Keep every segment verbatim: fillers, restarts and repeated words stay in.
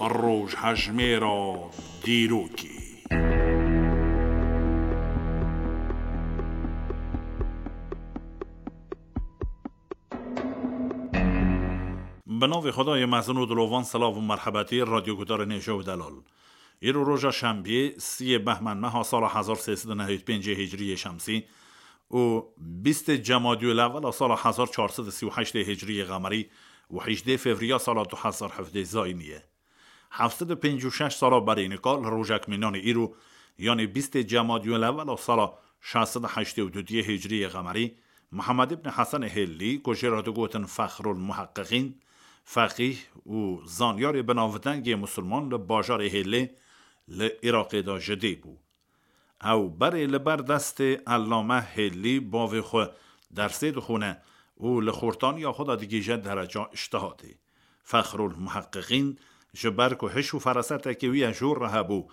Rojhejmêra dîrokê. Bi navê Xwedayê mezin û dilovan, silav û merhebetî radyogudarên hêja û delal. Îro roja şembiyê, siyê behmên meha sala hezar sê sed û nehê û pêncê hicriyê şemsî û bîstê cemadiyê lewela sala hezar çar sed û sî û heştê hicriyê qemerî û hejdê fevriya sala du hezar hevdê zayînî ye. Heft sed û pêncî û şeş sala berî nika li rojek mînanê îro, yanê bîstê cemadiyê lewela sala şeş sed û heştê û duyê hicriyê qemerî, Mihemed îbn Hesenê Hêlî, ku jê re digotin Fexrul Muheqqiqîn, feqîh û zanyarê binavdengê misilman li bajarê Hêlê li Iraqê de ji dê bû. Ew berê li ber destê Ellame Hêlî bavê xwe dersê dixwine û li xortaniya xwe de digihîje dereca îctihadê. Fexrul Muheqqiqîn ji ber ku hiş û ferasetekê wî ye jor re hebû,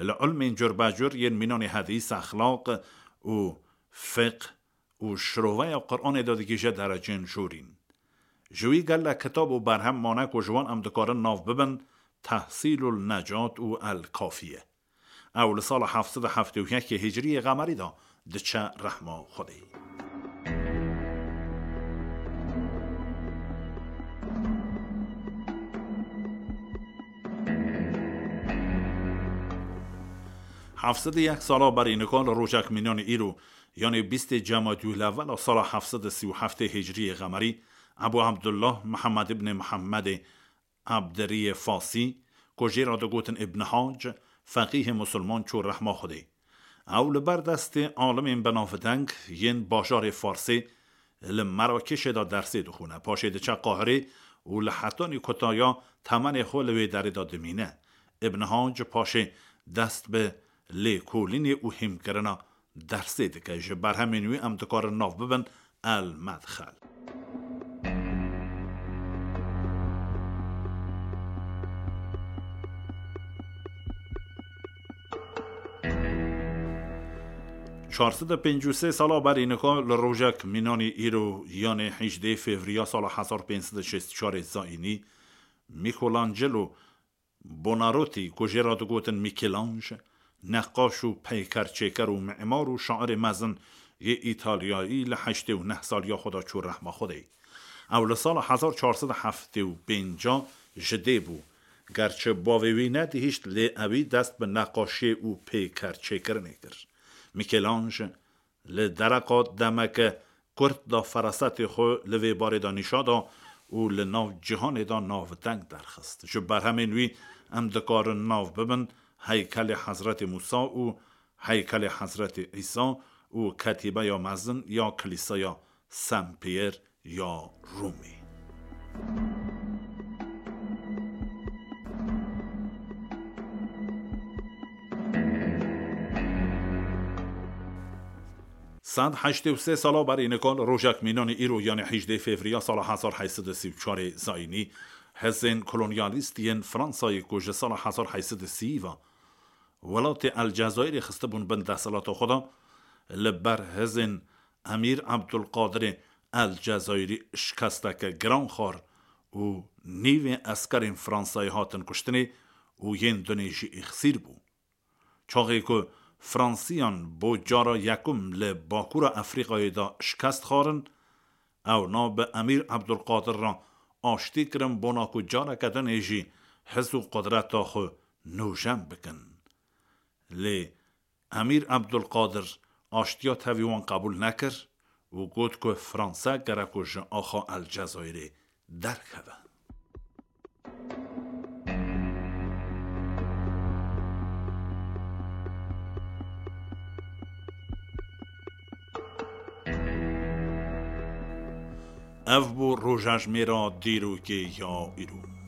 li ilmên curbecur yên mînanê hedîs, exlaq û fiqh û şiroveya Quranê de digihîje derecên jorîn. Ji wî gelek kitab û berhem mane ku ji wan em dikarin nav bibin Tehsîlul Necat û El Kafiye. Ew li sala heft sed û heftê û yekê hicriyê qemerî de diçe rehma Xwedê. Heft sed û yek sala berî nika li rojek mînanê îro, yanê bîstê cemadiyê lewela sala heft sed û sî û heftê hicriyê qemerî, Ebû Ebdullah Mihemed îbnê Mihemedê Ebdiriyê Fasî, ku jê re digotin Îbn Hac, feqîhê misilman çû rehma Xwedê. Ew li ber destê alimên binavdeng yên bajarê Farsê li Merakişê de dersê dixwine. Paşê diçe Qahirê û li hetanî kutaya temenê xwe li wê derê de dimîne. Îbn Hac paşê dest bi lêkolînê û hîmkirina dersê dike. Ji berhemên wî em dikarin nav bibin El Medxel. Çar sed û pêncî û sê sala berî nika li rojek mînanî îro, yanê hejdê fevriya sala hezar pênc sed û şêst û çarê zayînî, Michelangelo Buonarroti, ku jê re digotin Mîkêlanj, neqaş û peykerçêker û mîmar û şairê mezin yê Îtalyayî, li heştê û neh saliya xwe de çû rehma Xwedê. Ew li sala hezar çar sed û heftê û pênc ji dê bû. Gerçi bavê wî nedihişt, lê ewî dest bi neqaşiyê û peykerçêkirinê kir. Mîkêlanj li dereqa demeke kurt de ferasetê xwe li vê barê de nîşa da û li nav cîhanê de navdeng derxist. Ji berhemên wî em dikarin nav bibin heykelê Hezretê Mûsa û heykelê Hezretê Îsa û ketîbeya mezin ya Kilîseya Saint Pierre ya Rûmê. Sed heştê û sê sala berî nika li rojek mînanê îro, yanê hejdê fevriya sala hezar heyt sed û sî û çarê zayînî, hizên kolonyalîst yên Fransayê ku ji sala hezar heyt sed û sî ve welatê El Cezayirê xistibûn bin desthilata xwe de, li ber hizên Emîr Ebdulqadirê El Cezayirî şikesteke giran xwar û nîvê eskerên Fransayê hatin kuştinê û yên dunê jî êxsîr bû. Çaxê ku Fransiyan bo cara yekum li Bakûra Efrîqayê de şikest xwarin, ewna bi Emîr Ebdulqadir re aştî kirin, bona ku careke dinê jî hiz û qudreta xwe nûjen bikin. Lê Emîr Ebdulqadir aştiya tevî wan qebûl nekir û got ku Fransa gerek ku ji axa El Cezayirê derkeve. Ev bû rojejmêra dîrokê ya îro.